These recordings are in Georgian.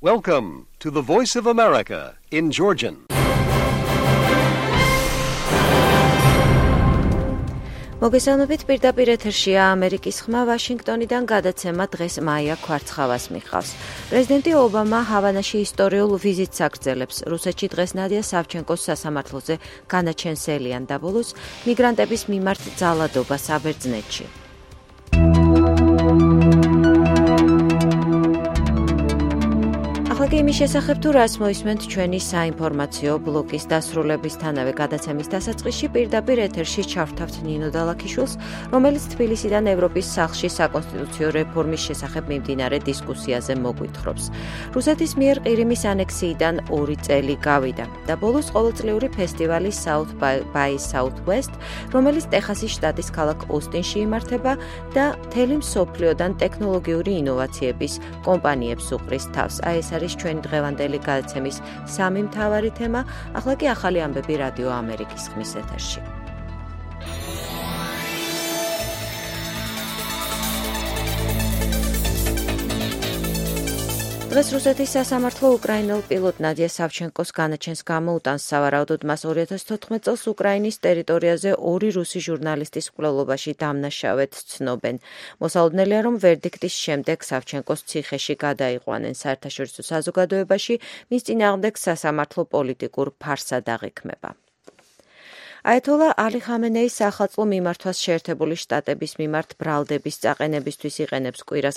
Welcome to the Voice of America in Georgian. მოგესალმებით, პირდაპირ ეთერშია ამერიკის ხმა ვაშინგტონიდან გადაცემა დღეს მაია ქვარცხავას მიხავს. პრეზიდენტი ობამა ჰავანაში ისტორიულ ვიზიტს აგრძელებს. რუსეთში დღეს ნადია სავჩენკოს სასამართლოზე განაჩენსელიან და ბოლოს მიგრანტების მიმართ ძალადობა საბერძნეთში. ახლა იმის შესახებ თუ რას მოისმენთ ჩვენი საინფორმაციო ბლოკის დასრულებისთანავე გადაცემის დასაწყისში პირდაპირ ეთერში ჩავთავთ ნინო დალაქიშვილს, რომელიც თბილისიდან ევროპის სახლში საკონსტიტუციო რეფორმის შესახებ მიმდინარე დისკუსიაზე მოგვითხრობს. რუსეთის მიერ ყირიმის ანექსიიდან 2 წელი გავიდა და ბოლოს ყოველწლიური ფესტივალი South by Southwest, რომელიც ტეხასის შტატის ქალაქ ოსტინში იმართება და მთელი მსოფლიოდან ტექნოლოგიური ინოვაციების კომპანიებს უყრის თავს. ეს არის ჩვენი დღევანდელი გადაცემის სამი მთავარი თემა. ახლა კი ახალი ამბები რადიო ამერიკის ხმის ეთერში. დღეს რუსეთის სასამართლო უკრაინელ პილოტ ნადია სავჩენკოს განაჩენს გამოუტანს. სავარაუდოდ მას 2014 წელს უკრაინის ტერიტორიაზე 2 რუსი ჟურნალისტის მკვლელობაში დამნაშავედ ცნობენ. მოსალოდნელია, რომ ვერდიქტის შემდეგ სავჩენკოს ციხეში გადაიყვანენ. საერთაშორისო საზოგადოებაში მის წინააღმდეგ სასამართლო პოლიტიკურ ფარსად აღიქმება. აიათოლა ალი ხამენეის სახალხო მიმართვას შეერთებული შტატების მიმართ ბრალდების წაყენებისთვის იყენებს კვირას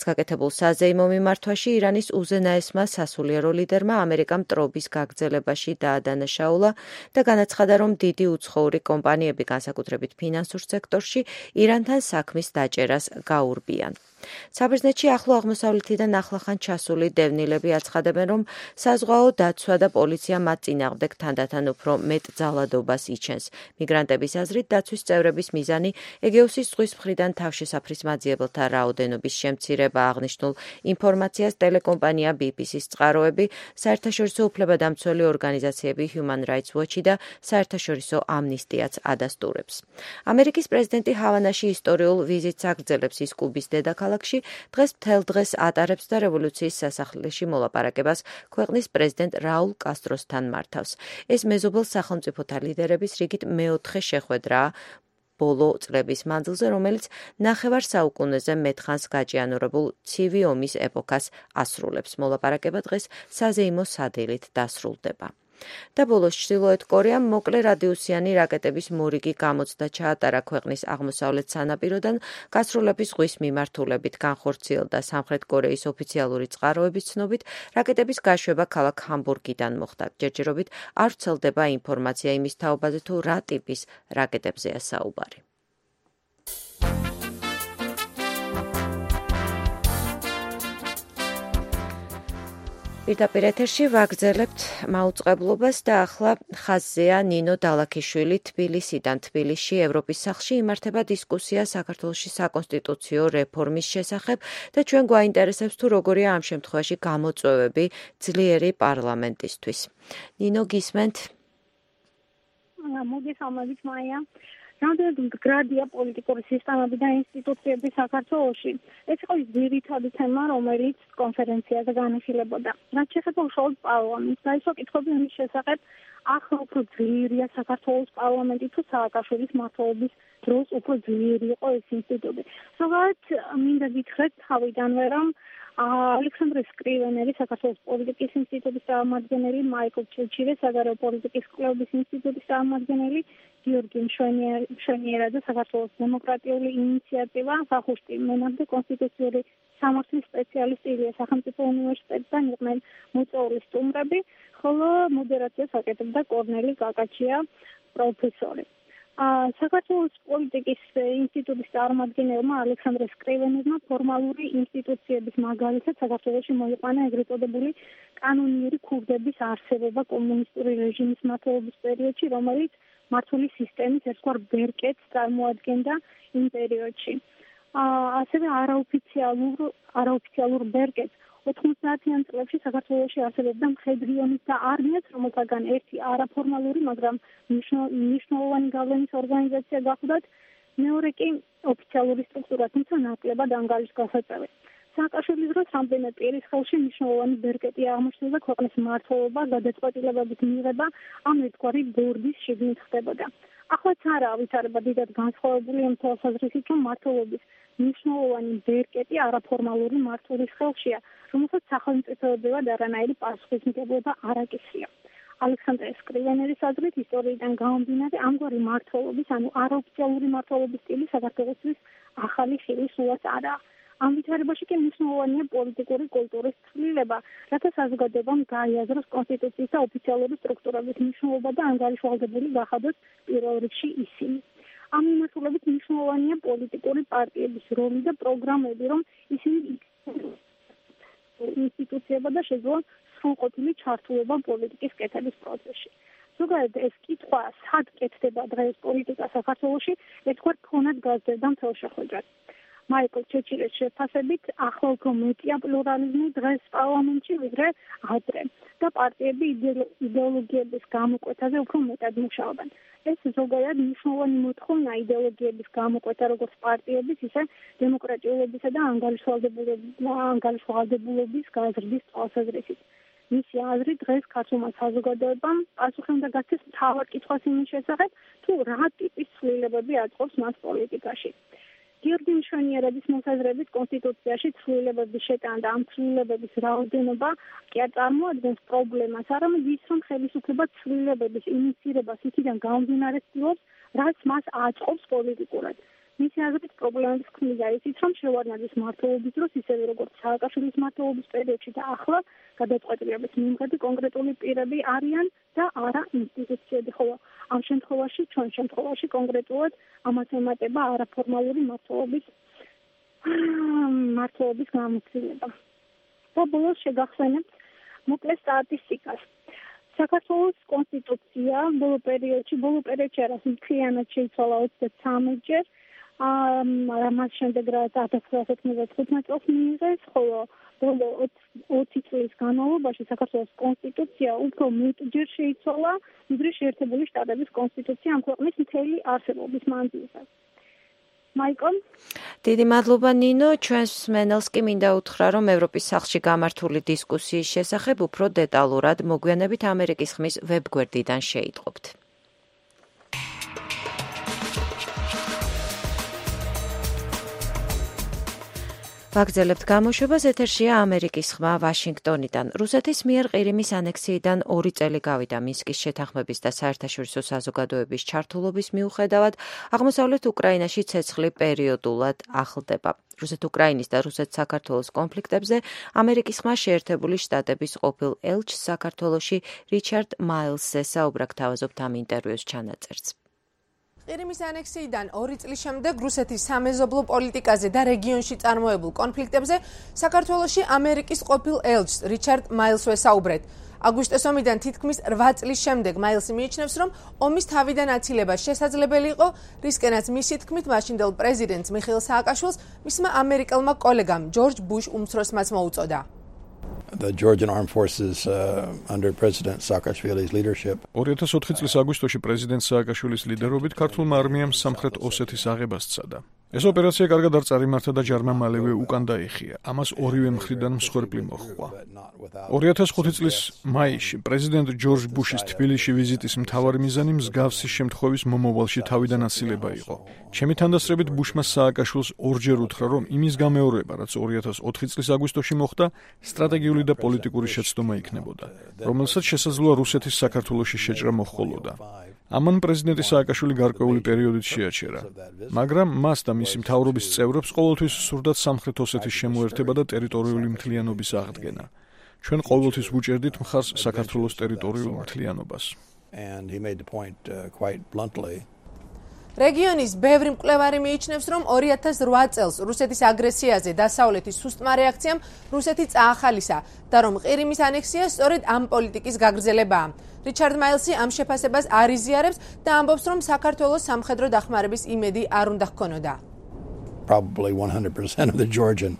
გაკეთებულ საზეიმო მიმართვაში ირანის უზენაესმა სასულიერო ლიდერმა ამერიკამ ტრობის გაგრძელებაში დაადანაშაულა და განაცხადა, რომ დიდი უცხოური კომპანიები, განსაკუთრებით ფინანსურ სექტორში, ირანთან საქმის დაჭერას გაურბიან. საბერძნეთში ახლო აღმოსავლეთიდან ახლახან ჩასული დევნილები აცხადებენ, რომ საზღვაო დაცვა და პოლიცია მათ წინააღმდეგ თანდათან უფრო მეტ ძალადობას იჩენს. მიგრანტების აზრით, დაცვის წევრების მიზანი ეგეოსის ზღვის მხრიდან თავშესაფრის მაძიებელთა რაოდენობის შემცირება. აღნიშნულ ინფორმაციას ტელეკომპანია BBC-ს წყაროები, საერთაშორისო უფლებადამცველი ორგანიზაციები Human Rights Watch და საერთაშორისო ამნისტიაც ადასტურებს. ამერიკის პრეზიდენტი ჰავანაში ისტორიულ ვიზიტს აგრძელებს. ის კუბის დედაქალაქ დღეს მთელ დღეს ატარებს და რევოლუციის სასახლეში მოლაპარაკებას ქვეყნის პრეზიდენტ რაულ კასტროსთან მართავს. ეს მეზობელ სახელმწიფოთა ლიდერების რიგით მეოთხე შეხვედრაა ბოლო წლების მანძილზე, რომელიც ნახევარ საუკუნეზე მეტხანს გაჭიანურებულ ცივი ომის ეპოქას ასრულებს. მოლაპარაკება დღეს საზეიმო სადილით დასრულდება. და ბოლოს ჩრდილოეთ კორეამ მოკლე რადიუსიანი რაკეტების მორიგი გამოცდა ჩაატარა ქვეყნის აღმოსავლეთ სანაპიროდან გასროლების ზღვის მიმართულებით. განხორციელდა სამხრეთ კორეის ოფიციალური წყაროების ცნობით, რაკეტების გაშვება ქალაქ ჰამბურგიდან მოხდა. ჯერჯერობით არ ვრცელდება ინფორმაცია იმის თაობაზე, თუ რა ტიპის რაკეტებზეა საუბარი. პირდაპირ ეთერში ვაგრძელებთ მაუწყებლობას და ახლა ხაზზეა ნინო დალაქიშვილი თბილისიდან. თბილისში ევროპის სახლში იმართება დისკუსია საქართველოში საკონსტიტუციო რეფორმის შესახებ და ჩვენ გვაინტერესებს თუ როგორია ამ შემთხვევაში გამოწვევები ძლიერი პარლამენტისთვის. ნინო, გისმენთ? მოგესალმებით, მაია. რამდენად მდგრადია პოლიტიკური სისტემები და ინსტიტუციები საქართველოში. ეს იყო ძირითადი თემა, რომელიც კონფერენციაზე განიხილებოდა. რაც შეეხება უშუალოდ პარლამენტს, დაისვა კითხვები იმის შესახებ, ახლა უფრო ძლიერია საქართველოს პარლამენტი თუ სააკაშვილის მმართველობის დროს უფრო ძლიერი იყო ეს ინსტიტუტი. ზოგადად მინდა გითხრათ თავიდანვე, რომ ალექსანდრე სკრივენელი, საქართველოს პოლიტიკის ინსტიტუტის წარმომადგენელი, მაიკლ ჩილჩილე, საგარეო პოლიტიკის კვლევების ინსტიტუტის წარმომადგენელი, გიორგი მშვენიერა და საქართველოს დემოკრატიული ინიციატივა, სახუშტი მენამდე კონსტიტუციური სამართლის სპეციალისტი ილია სახელმწიფო უნივერსიტეტიდან იყვნენ მოწვეული სტუმრები, ხოლო მოდერაციას აკეთებდა კორნელი კაკაჩია, პროფესორი. საქართველოს პოლიტიკის ინსტიტუტის წარმომადგენელმა ალექსანდრე სკრივენელმა ფორმალური ინსტიტუციების მაგალითად საქართველოში მოიყვანა ეგრეთ წოდებული კანონიერი ქურდების არსებობა კომუნისტური რეჟიმის მმართველობის პერიოდში, რომელიც მართული სისტემის ერთგვარ ბერკეტს წარმოადგენდა იმ პერიოდში. ასევე არაოფიციალურ ბერკეტს 90-იან წლებში საქართველოში არსებობდა მხედრიონის და არმიაც, რომელთაგან ერთი არაფორმალური, მაგრამ მნიშვნელოვანი გავლენის ორგანიზაცია გახლდათ, მეორე კი ოფიციალური სტრუქტურა, თუმცა ნაკლებად ანგარიშგასაწევი. სააკაშვილის დროს რამდენიმე პირის ხელში მნიშვნელოვანი ბერკეტი აღმოჩნდა ქვეყნის მმართველობა, გადაწყვეტილებების მიღება ამ ერთგვარი ბორდის შიგნით ხდებოდა. ახლაც არა ავითარება დიდად განსხვავებული იმ თვალსაზრისით, რომ მმართველობის მნიშვნელოვანი ბერკეტი არაფორმალური მმართველის ხელშია, რომელსაც სახელმწიფოებრივად არანაირი პასუხისმგებლობა არ აკისრია. ალექსანდრე სკრივენერის აზრით ისტორიიდან გამომდინარე ამგვარი მმართველობის, ანუ არაოფიციალური მმართველობის სტილი საქართველოსთვის ახალი ხილი სულაც არაა. ამ ვითარებაში კი მნიშვნელოვანია პოლიტიკური კულტურის ცვლილება, რათა საზოგადოებამ გაიაზროს კონსტიტუციის და ოფიციალური სტრუქტურების მნიშვნელობა და ანგარიშვალდებული გახადოს პირველ რიგში ისინი. ამ მიმართულებით მნიშვნელოვანია პოლიტიკური პარტიების როლი და პროგრამები, რომ ისინი ინსტიტუციებად და შეძლონ სრულყოფილი ჩართულობა პოლიტიკის კეთების პროცესში. ზოგადად ეს კითხვა, სად კეთდება დღეს პოლიტიკა საქართველოში, ერთგვარ ფონად გაზრდა მთელ შეხვედრას. მაიკლ ჩეჩილეს შეფასებით, ახლა უფრო მეტია პლურალიზმი დღეს პარლამენტში, ვიდრე ადრე და პარტიები იდეოლოგიების გამოკვეთაზე უფრო მეტად მუშაობენ. ეს ზოგადად მნიშვნელოვანი მოთხოვნა იდეოლოგიების გამოკვეთა როგორც პარტიების, ისე დემოკრატიულობისა და ანგარიშვალდებულობის გაზრდის თვალსაზრისით. მისი აზრით დღეს ქართულმა საზოგადოებამ პასუხი უნდა გაცეს მთავარ კითხვას იმის შესახებ, თუ რა ტიპის ცვლილებები აწყობს მას პოლიტიკაში. გიორგი მშვენიერების მოსაზრებით კონსტიტუციაში ცვლილებების შეტანა და ამ ცვლილებების რაოდენობა კი არ წარმოადგენს პრობლემას, არამედ ის, რომ ხელისუფლება ცვლილებების ინიციირებას იქიდან გამომდინარე ცდილობს, რაც მას აწყობს პოლიტიკურად. მისი აზრით პრობლემების ქმნიდა ისიც, რომ შევარდნაძის მმართველობის დროს, ისევე როგორც სააკაშვილის მმართველობის პერიოდში და ახლა გადაწყვეტილების მიმღები კონკრეტული პირები არიან და არა ინსტიტუციები, ხოლო ამ შემთხვევაში, ჩვენ შემთხვევაში კონკრეტულად ამას ემატება არაფორმალური მმართველობის გამოცდილება. და ბოლოს შეგახსენებთ მოკლე სტატისტიკას. საქართველოს კონსტიტუცია ბოლო პერიოდში არა, მთლიანად შეიცვალა 33-ჯერ. ამას შემდეგ რაც 1995 წელს მიიღეს, ხოლო ბოლო 20 წლის განმავლობაში საქართველოს კონსტიტუცია უფრო მეტჯერ შეიცვალა, ვიდრე შეერთებული შტატების კონსტიტუცია ამ ქვეყნის მთელი არსებობის მანძილზე. მაიკლ? დიდი მადლობა ნინო, ჩვენს მსმენელს კი მინდა უთხრა, რომ ევროპის სახლში გამართული დისკუსიის შესახებ უფრო დეტალურად მოგვიანებით ამერიკის ხმის ვებგვერდიდან შეიტყობთ. ვაგრძელებთ გამოშვებას, ეთერშია ამერიკის ხმა ვაშინგტონიდან. რუსეთის მიერ ყირიმის ანექსიიდან 2 წელი გავიდა მინსკის შეთანხმების და საერთაშორისო საზოგადოების ჩართულობის მიუხედავად, აღმოსავლეთ უკრაინაში ცეცხლი პერიოდულად ახლდება. რუსეთ-უკრაინის და რუსეთ-საქართველოს კონფლიქტებზე ამერიკის ხმა შეერთებული შტატების ყოფილ ელჩს საქართველოში რიჩარდ მაილსზე საუბრად თავაზობთ ამ ინტერვიუს ჩანაწერს. ყირიმის ანექსიიდან 2 წლის შემდეგ რუსეთის სამეზობლო პოლიტიკაზე და რეგიონში წარმოებულ კონფლიქტებზე საქართველოში ამერიკის ყოფილ ელჩს რიჩარდ მაილსზე საუბრეთ. აგვისტოს ომიდან თითქმის 8 წლის შემდეგ მაილსი მიიჩნევს, რომ ომის თავიდან აცილება შესაძლებელი იყო, რისკენაც მისი თქმით მაშინდელ პრეზიდენტს მიხეილ სააკაშვილს მისმა ამერიკელმა კოლეგამ ჯორჯ ბუშ უმცროსმაც მოუწოდა. The Georgian Armed Forces under President Saakashvili's leadership. 2004 წლის აგვისტოში პრეზიდენტ სააკაშვილის ლიდერობით ქართულმა არმიამ სამხრეთ ოსეთის აღებას სცადა. ეს ოპერაცია კარგად არ წარიმართა და ჯარმა მალევე უკან დაიხია. ამას ორივე მხრიდან მსხვერპლი მოჰყვა. 2005 წლის მაისში პრეზიდენტ ჯორჯ ბუშის თბილისში ვიზიტის მთავარი მიზანი მსგავსი შემთხვევის მომავალში თავიდან აცილება იყო. ჩემი თანდასწრებით ბუშმა სააკაშვილს ორჯერ უთხრა, რომ იმის გამეორება, რაც 2004 წლის აგვისტოში მოხდა, სტრატეგიული და პოლიტიკური შეცდომა იქნებოდა, რომელსაც შესაძლოა რუსეთის საქართველოში შეჭრა მოჰყოლოდა. ამან პრეზიდენტი სააკაშვილი გარკვეული პერიოდით შეაჩერა, მაგრამ მას და მისი მთავრობის წევრებს ყოველთვის სურდათ სამხრეთ ოსეთის შემოერთება და ტერიტორიული მთლიანობის აღდგენა. ჩვენ ყოველთვის ვუჭერდით მხარს საქართველოს ტერიტორიულ მთლიანობას. And he made the point quite bluntly. რეგიონის ბევრი მკვლევარი მიიჩნევს, რომ 2008 წელს რუსეთის აგრესიაზე დასავლეთის სუსტმა რეაქციამ რუსეთი წაახალისა და რომ ყირიმის ანექსია სწორედ ამ პოლიტიკის გაგრძელებაა. რიჩარდ მაილსი ამ შეფასებას არ იზიარებს და ამბობს, რომ საქართველოს სამხედრო დახმარების იმედი არ უნდა ჰქონოდა. Probably 100% of the Georgian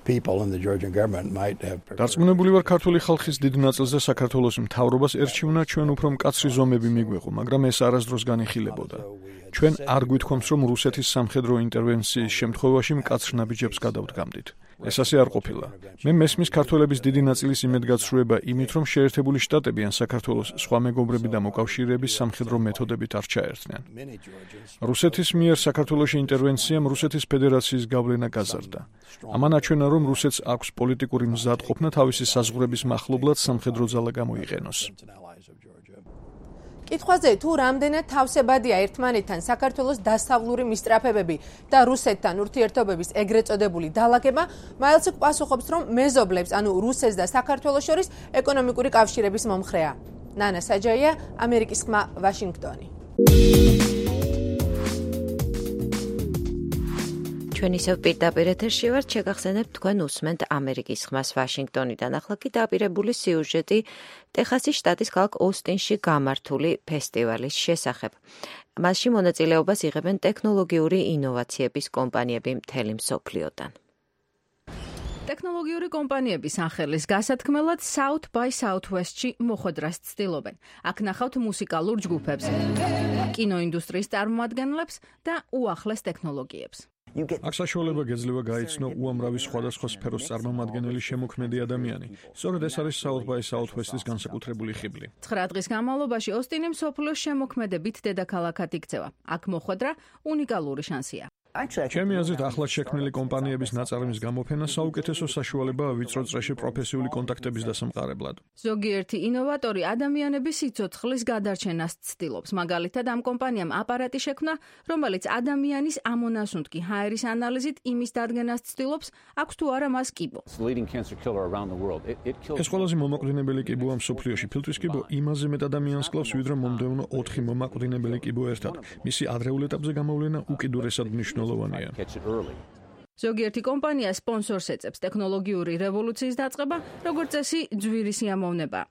people in the Georgian government might have. დარწმუნებული ვარ, ქართული ხალხის დიდ ნაწილზე საქართველოს მთავრობას ერჩივნა ჩვენ უფრო მკაცრი ზომები მიგვეღო, მაგრამ ეს არასდროს განიხილებოდა. ჩვენ არ გვითქვამს, რომ რუსეთის სამხედრო ინტერვენციის შემთხვევაში მკაცრ ნაბიჯებს გადავდგამდით. ეს ასე არ ყოფილა. მე მესმის ქართველების დიდი ნაწილის იმედგაცრუება იმით, რომ შეერთებული შტატები ან საქართველოს სხვა მეგობრები და მოკავშირეების სამხედრო მეთოდებით არ ჩაერთნენ. რუსეთის მიერ საქართველოში ინტერვენციამ რუსეთის ფედერაციის გავლენა გაზარდა. ამან აჩვენა, რომ რუსეთს აქვს პოლიტიკური მზადყოფნა თავისი საზღვრების მახლობლად სამხედრო ძალა გამოიყენოს. კითხვაზე თუ რამდენად თავსებადია ერთმანეთთან საქართველოს დასავლური მისწრაფებები და რუსეთთან ურთიერთობების ეგრეთ წოდებული დალაგება, მაილსი პასუხობს, რომ მეზობლებს, ანუ რუსეთს და საქართველოს შორის ეკონომიკური კავშირების მომხრეა. ნანა საჯაია, ამერიკის ხმა, ვაშინგტონი. ჩვენ ისევ პირდაპირ ეთერში ვართ, შეგახსენებთ თქვენ უსმენთ ამერიკის ხმას ვაშინგტონიდან. ახლა კი დაპირებული სიუჟეტი ტეხასის შტატის ქალაქ ოსტინში გამართული ფესტივალის შესახებ. მასში მონაწილეობას იღებენ ტექნოლოგიური ინოვაციების კომპანიები მთელი მსოფლიოდან. ტექნოლოგიური კომპანიების სახელის გასათქმელად South by Southwest-ში მოხვედრას ცდილობენ. აქ ნახავთ მუსიკალურ ჯგუფებს, კინოინდუსტრიის წარმომადგენლებს და უახლეს ტექნოლოგიებს. აქ საშუალება გეძლევა გაიცნო უამრავი სხვადასხვა სფეროს წარმომადგენელი შემოქმედი ადამიანი. სწორედ ეს არის South by Southwest-ის განსაკუთრებული ხიბლი. 9 დღის განმავლობაში ოსტინი მსოფლიოს შემოქმედებით დედაქალაქად იქცევა. აქ მოხვედრა უნიკალური შანსია. ჩემი აზრით, ახლად შექმნილი კომპანიების ნაწარმის გამოფენა საუკეთესო საშუალებაა ვიწრო წრეში პროფესიული კონტაქტების დასამყარებლად. ზოგიერთი ინოვატორი ადამიანების სიცოცხლის გადარჩენას ცდილობს. მაგალითად, ამ კომპანიამ აპარატი შექმნა, რომელიც ადამიანის ამონასუნთქი ჰაერის ანალიზით იმის დადგენას ცდილობს, აქვს თუ არა მას კიბო. ეს ყველაზე მომაკვდინებელი კიბოა მსოფლიოში. ფილტვის კიბო იმაზე მეტ ადამიანს კლავს, ვიდრე მომდევნო 4 მომაკვდინებელი კიბო ერთად. მისი ადრეულ ეტაპზე გამოვლენა უკიდურესად მნიშვნელოვანია. ზოგიერთი კომპანია სპონსორს ეწევს ტექნოლოგიური რევოლუციის დაწყება, როგორც წესი, ძვირი სიამოვნება.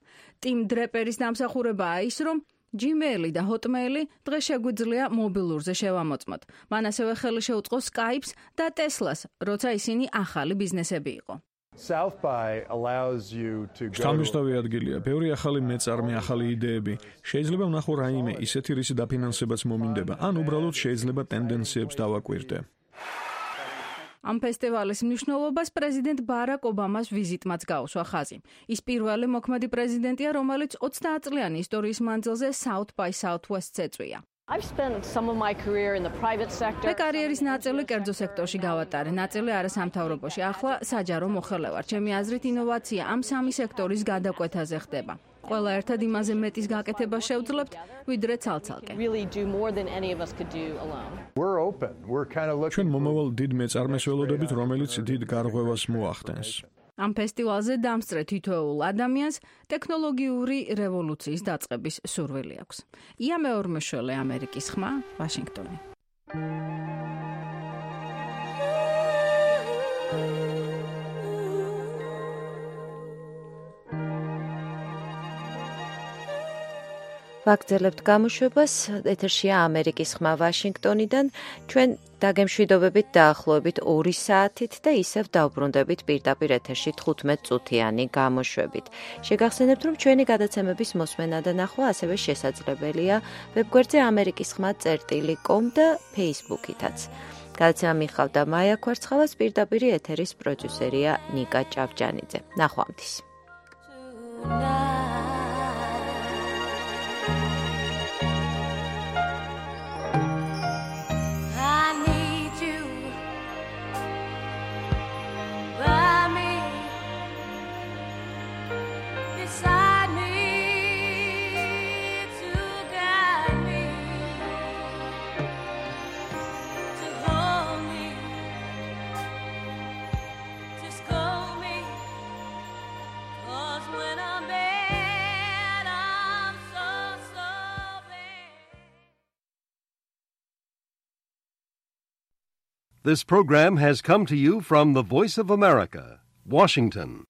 ტიმ დრეპერის დამსახურებაა ის, რომ Gmail და Hotmail დღეს შეგვიძლია მობილურზე შევამოწმოთ. მან ასევე ხელი შეუწყო Skype-ს და Tesla-ს, როცა ისინი ახალი ბიზნესები იყო. შთამბეჭდავი ადგილია, ბევრი ახალი მეწარმე, ახალი იდეები. შეიძლება ვნახო რაიმე ისეთი, რისი დაფინანსებაც მომინდება, ან უბრალოდ შეიძლება ტენდენციებს დავაკვირდე. ამ ფესტივალის მნიშვნელობას პრეზიდენტ ბარაკ ობამას ვიზიტმაც გაუსვა ხაზი. ის პირველი მოქმედი პრეზიდენტია, რომელიც 30 წლიანი ისტორიის მანძილზე South by Southwest-ს ეწვია. მე კარიერის ნაწილი კერძო სექტორში გავატარე, ნაწილი არასამთავრობოში. ახლა საჯარო მოხელე ვარ. ჩემი აზრით, ინოვაცია ამ სამი სექტორის გადაკვეთაზე ხდება. ყველა ერთად იმაზე მეტის გაკეთებას შევძლებთ, ვიდრე ცალ-ცალკე. ჩვენ მომავალ დიდ მეწარმეს ველოდებით, რომელიც დიდ გარღვევას მოახდენს. ამ ფესტივალზე დამსწრე თითოეულ ადამიანს ტექნოლოგიური რევოლუციის დაწყების სურვილი აქვს. ია მეორმეშველი, ამერიკის ხმა, ვაშინგტონი. ვაგრძელებთ გამოშვებას, ეთერშია ამერიკის ხმა ვაშინგტონიდან. ჩვენ დაგემშვიდობებით დაახლოებით 2 საათით და ისევ დავბრუნდებით პირდაპირ ეთერში 15 წუთიანი გამოშვებით. შეგახსენებთ, რომ ჩვენი გადაცემების მოსმენა და ნახვა ასევე შესაძლებელია ვებგვერდზე amerikiskhma.com და Facebook-ითაც. გადაცემა მიხავდა მაია ქვარცხავას, პირდაპირი ეთერის პროდიუსერია ნიკა ჭავჭანიძე. ნახვამდის. This program has come to you from the Voice of America, Washington.